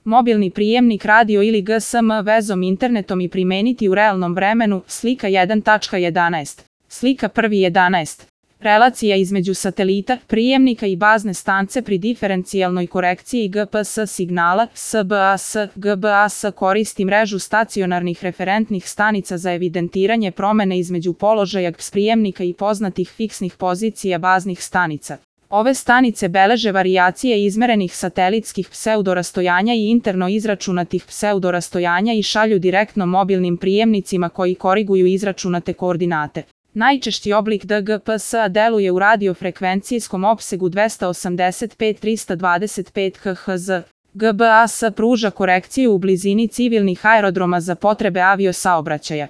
mobilni prijemnik radio ili GSM vezom internetom i primeniti u realnom vremenu. Slika 1.11. Slika 1.11. Relacija između satelita, prijemnika i bazne stanice pri diferencijalnoj korekciji GPS signala. SBS. GBAS koristi mrežu stacionarnih referentnih stanica za evidentiranje promene između položaja prijemnika i poznatih fiksnih pozicija baznih stanica. Ove stanice beleže varijacije izmerenih satelitskih pseudorastojanja i interno izračunatih pseudorastojanja i šalju direktno mobilnim prijemnicima koji koriguju izračunate koordinate. Najčešći oblik DGPS-a deluje u radiofrekvencijskom opsegu 285-325 kHz. GBAS pruža korekciju u blizini civilnih aerodroma za potrebe aviosaobraćaja.